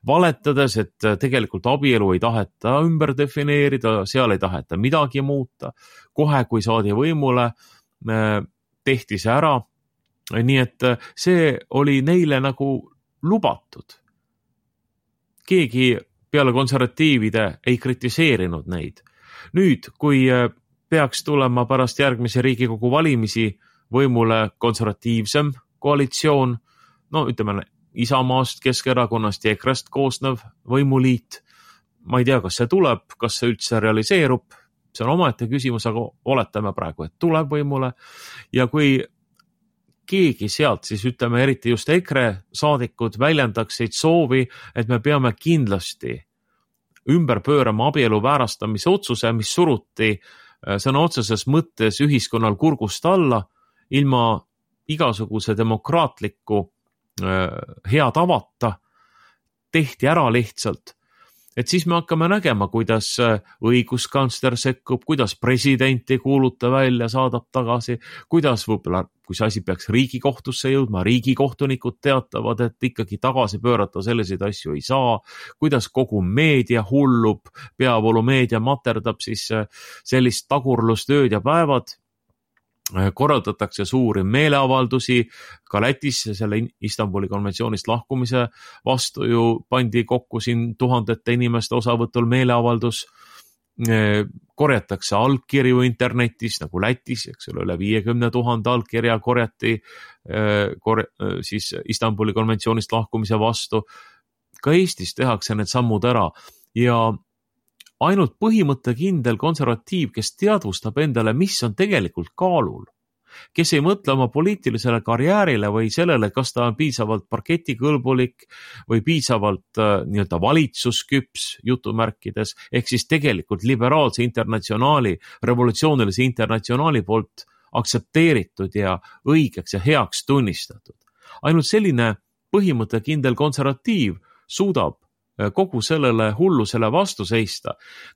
valetades, et tegelikult abielu ei taheta ümber defineerida, seal ei taheta midagi muuta. Kohe, kui saadi võimule, tehti see ära. Nii et see oli neile nagu lubatud. Keegi peale konservatiivide ei kritiseerinud neid. Nüüd, kui peaks tulema pärast järgmise Riigikogu valimisi võimule konservatiivsem koalitsioon, ütleme Isamaast, Keskerakonnast ja EKRE-st koosnev võimuliit, ma ei tea, kas see tuleb, kas see üldse realiseerub, see on omaette küsimus, aga oletame praegu, et tuleb võimule ja kui keegi sealt, siis ütleme eriti just EKRE saadikud väljendaksid soovi, et me peame kindlasti ümber pöörama abielu väärastamise otsuse, mis suruti sõna otseses mõttes ühiskonnal kurgust alla, ilma igasuguse demokraatliku hea tavata, tehti ära lihtsalt. Et siis me hakkame nägema, kuidas õiguskantsler sekkub, kuidas president ei kuuluta välja, saadab tagasi, kuidas võib-olla, kui see asi peaks Riigikohtusse jõudma, riigikohtunikud teatavad, et ikkagi tagasi pöörata selliseid asju ei saa, kuidas kogu meedia hullub, peavoolumeedia materdab siis sellist tagurlust ööd ja päevad, korraldatakse suuri meeleavaldusi, ka Lätis selle Istanbuli konventsioonist lahkumise vastu ju pandi kokku siin tuhandete inimeste osavõtul meeleavaldus, korjatakse allkirju internetis nagu Lätis, eks ole, üle 50 000 allkirja korjati siis Istanbuli konventsioonist lahkumise vastu. Ka Eestis tehakse need sammud ära ja ainult põhimõttekindel konservatiiv, kes teadvustab endale, mis on tegelikult kaalul, kes ei mõtle oma poliitilisele karjäärile või sellele, kas ta on piisavalt parketikõlbulik või piisavalt nii-öelda valitsusküps jutumärkides, ehk siis tegelikult liberaalse internatsionaali, revolutsioonilise internatsionaali poolt aktsepteeritud ja õigeks ja heaks tunnistatud. Ainult selline põhimõttekindel konservatiiv suudab kogu sellele hullusele vastu seista.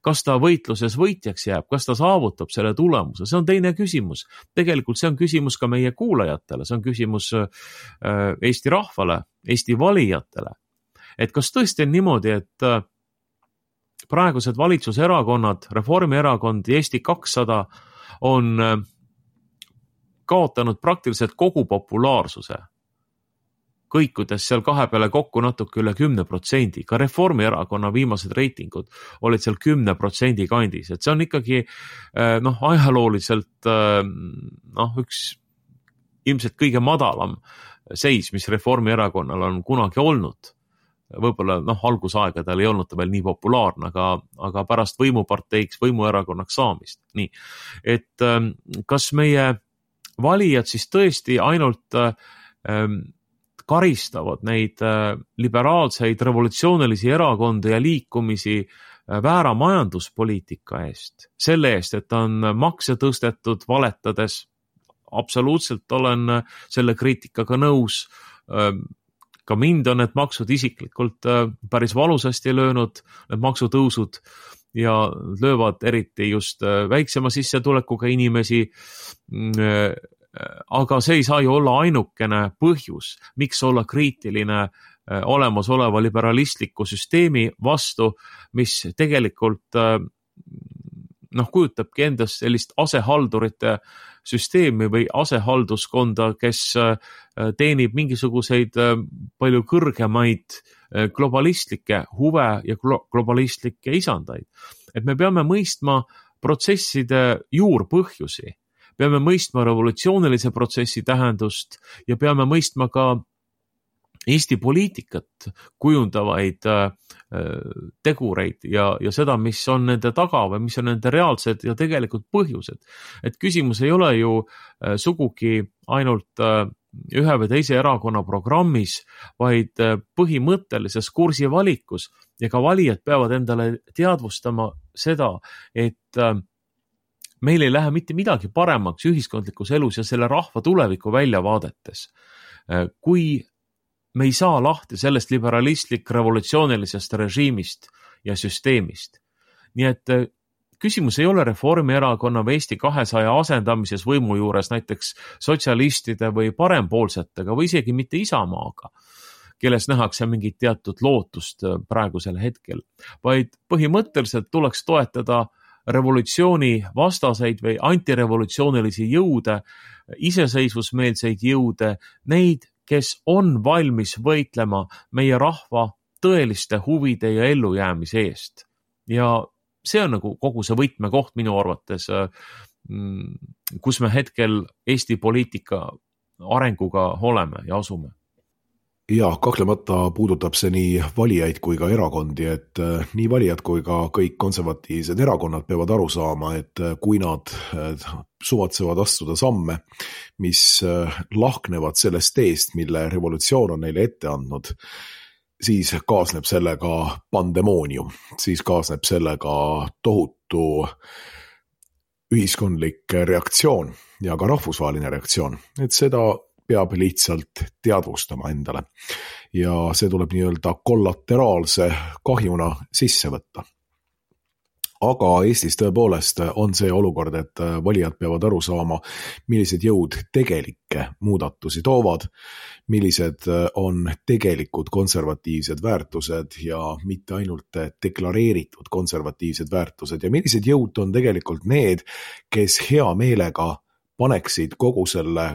Kas ta võitluses võitjaks jääb, kas ta saavutab selle tulemuse, see on teine küsimus. Tegelikult see on küsimus ka meie kuulajatele, see on küsimus Eesti rahvale, Eesti valijatele. Et kas tõesti on niimoodi, et praegused valitsuserakonnad, Reformierakond ja Eesti 200 on kaotanud praktiliselt kogu populaarsuse kõikudes seal kahe peale kokku natuke üle 10%. Ka Reformierakonna viimased reitingud olid seal 10% kandis. Et see on ikkagi ajalooliselt üks ilmselt kõige madalam seis, mis Reformierakonnal on kunagi olnud. Võib-olla algusaegadel ei olnud ta veel nii populaarne, aga pärast võimuparteiks, võimuerakonnaks saamist. Nii, et kas meie valijad siis tõesti ainult karistavad neid liberaalseid revolutsioonilisi erakondi ja liikumisi väära majanduspoliitika eest, selle eest, et on makse tõstetud valetades. Absoluutselt olen selle kriitikaga nõus. Ka mind on need maksud isiklikult päris valusasti löönud, need maksutõusud, ja löövad eriti just väiksema sissetulekuga inimesi. Aga see ei saa ju olla ainukene põhjus, miks olla kriitiline olemasoleva liberalistliku süsteemi vastu, mis tegelikult kujutabki endast sellist asehaldurite süsteemi või asehalduskonda, kes teenib mingisuguseid palju kõrgemaid globalistlikke huve ja globalistlikke isandaid. Et me peame mõistma protsesside juurpõhjusi, peame mõistma revolutsioonilise protsessi tähendust ja peame mõistma ka Eesti poliitikat kujundavaid tegureid ja seda, mis on nende taga või mis on nende reaalsed ja tegelikult põhjused. Et küsimus ei ole ju sugugi ainult ühe või teise erakonna programmis, vaid põhimõttelises kursivalikus, ja ka valijad peavad endale teadvustama seda, et meil ei lähe mitte midagi paremaks ühiskondlikus elus ja selle rahva tuleviku väljavaadetes, kui me ei saa lahti sellest liberalistlik revolutsioonilisest režiimist ja süsteemist. Nii et küsimus ei ole Reformierakonna või Eesti 200 asendamises võimu juures näiteks sotsialistide või parempoolsetega või isegi mitte Isamaaga, kelles nähakse mingit teatud lootust praegusel hetkel, vaid põhimõtteliselt tuleks toetada revolutsiooni vastaseid või antirevolutsioonilisi jõude, iseseisvusmeelseid jõude, neid, kes on valmis võitlema meie rahva tõeliste huvide ja ellujäämise eest. Ja see on kogu see võtmekoht minu arvates, kus me hetkel Eesti poliitika arenguga oleme ja asume. Ja, kahtlemata puudutab see nii valijaid kui ka erakondi, et nii valijad kui ka kõik konservatiivsed erakonnad peavad aru saama, et kui nad suvatsevad astuda samme, mis lahknevad sellest teest, mille revolutsioon on neile ette andnud, siis kaasneb sellega pandemoonium, siis kaasneb sellega tohutu ühiskondlik reaktsioon ja ka rahvusvaheline reaktsioon, et seda peab lihtsalt teadvustama endale ja see tuleb nii-öelda kollateraalse kahjuna sisse võtta. Aga Eestis tõepoolest on see olukord, et valijad peavad aru saama, millised jõud tegelikke muudatusi toovad, millised on tegelikud konservatiivsed väärtused ja mitte ainult deklareeritud konservatiivsed väärtused ja millised jõud on tegelikult need, kes hea meelega paneksid kogu selle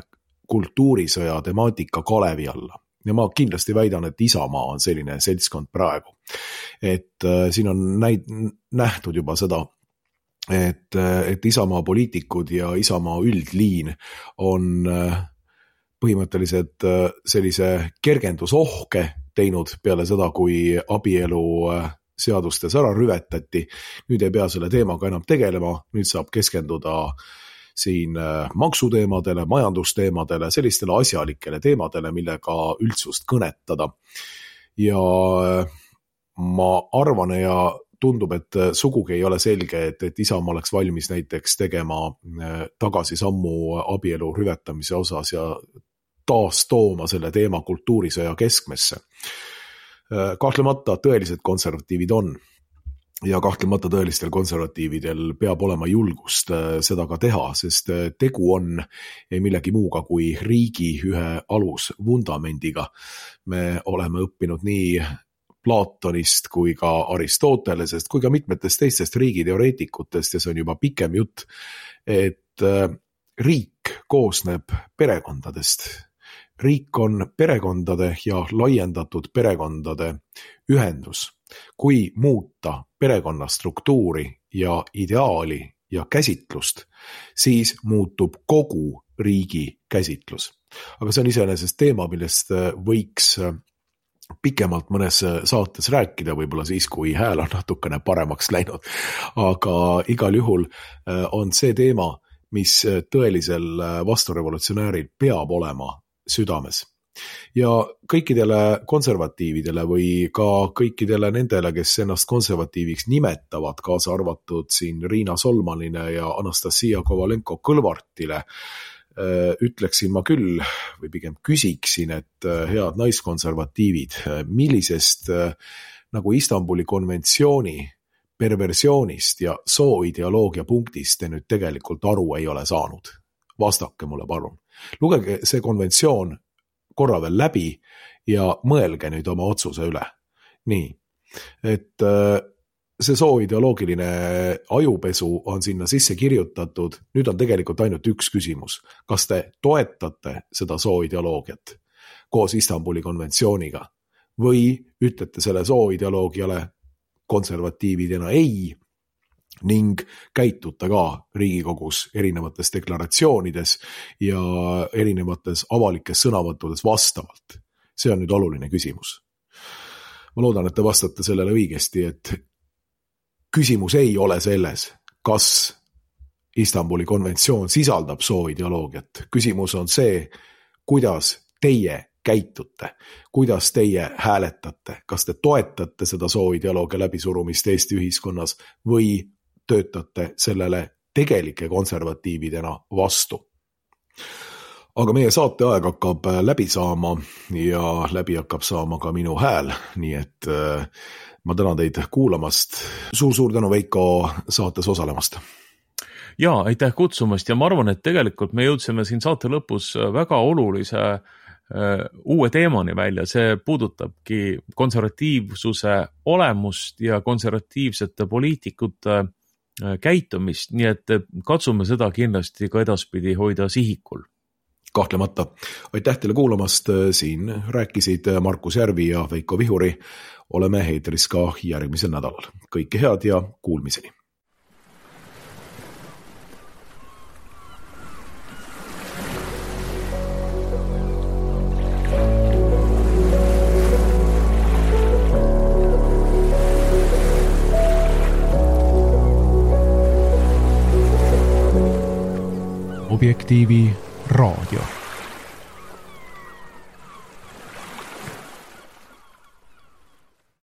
kultuurisõja temaatika kalevi alla. Ja ma kindlasti väidan, et Isamaa on selline seltskond praegu. Et siin on nähtud juba seda, et Isamaa poliitikud ja Isamaa üldliin on põhimõtteliselt sellise kergendusohke teinud peale seda, kui abielu seadustes ära rüvetati. Nüüd ei pea selle teemaga enam tegelema, nüüd saab keskenduda siin maksuteemadele, majandusteemadele, sellistele asjalikele teemadele, millega üldsust kõnetada. Ja ma arvan ja tundub, et sugugi ei ole selge, et Isamaa oleks valmis näiteks tegema tagasi sammu abielu rüvetamise osas ja taas tooma selle teema kultuurisõja keskmesse. Kahtlemata tõelised konservatiivid on. Ja kahtlemata tõelistel konservatiividel peab olema julgust seda ka teha, sest tegu on millegi muuga kui riigi ühe alusvundamendiga. Me oleme õppinud nii Platonist kui ka Aristotelesest kui ka mitmetest teistest riigiteoreetikutest ja see on juba pikem jutt, et riik koosneb perekondadest. Riik on perekondade ja laiendatud perekondade ühendus. Kui muuta perekonna struktuuri ja ideaali ja käsitlust, siis muutub kogu riigi käsitlus. Aga see on iseenesest teema, millest võiks pikemalt mõnes saates rääkida, võib-olla siis, kui hääl on natukene paremaks läinud. Aga igal juhul on see teema, mis tõelisel vasturevolutsionääril peab olema südames. Ja kõikidele konservatiividele või ka kõikidele nendele, kes ennast konservatiiviks nimetavad, kaasa arvatud siin Riina Solmanile ja Anastasia Kovalenko-Kõlvartile, ütleksin ma küll või pigem küsiksin, et head naiskonservatiivid, millisest nagu Istanbuli konventsiooni perversioonist ja sooideoloogia punktist te nüüd tegelikult aru ei ole saanud. Vastake mulle palun. Lugege see konventsioon korra veel läbi ja mõelge nüüd oma otsuse üle. Nii, et see sooideoloogiline ajupesu on sinna sisse kirjutatud, nüüd on tegelikult ainult üks küsimus. Kas te toetate seda sooideoloogiat koos Istanbuli konventsiooniga või ütlete selle sooideoloogiale konservatiividena ei ning käitute ka Riigikogus erinevates deklaratsioonides ja erinevates avalikes sõnavõttudes vastavalt. See on nüüd oluline küsimus. Ma loodan, et te vastate sellele õigesti, et küsimus ei ole selles, kas Istanbuli konventsioon sisaldab sooideoloogiat. Küsimus on see, kuidas teie käitute, kuidas teie hääletate, kas te toetate seda sooideoloogia läbisurumist Eesti ühiskonnas või töötate sellele tegelike konservatiividena vastu. Aga meie saateaeg hakkab läbi saama ja läbi hakkab saama ka minu hääl, nii et ma tänan teid kuulamast. Suur tänu, Veiko, saates osalemast. Ja, aitäh kutsumast ja ma arvan, et tegelikult me jõudsime siin saate lõpus väga olulise uue teemani välja. See puudutabki konservatiivsuse olemust ja konservatiivsete poliitikute käitumist, nii et katsume seda kindlasti ka edaspidi hoida sihikul. Kahtlemata. Aitäh teile kuulamast. Siin rääkisid Markus Järvi ja Veiko Vihuri. Oleme eetris ka järgmisel nädalal. Kõike head ja kuulmiseni. Objektiivi raadio.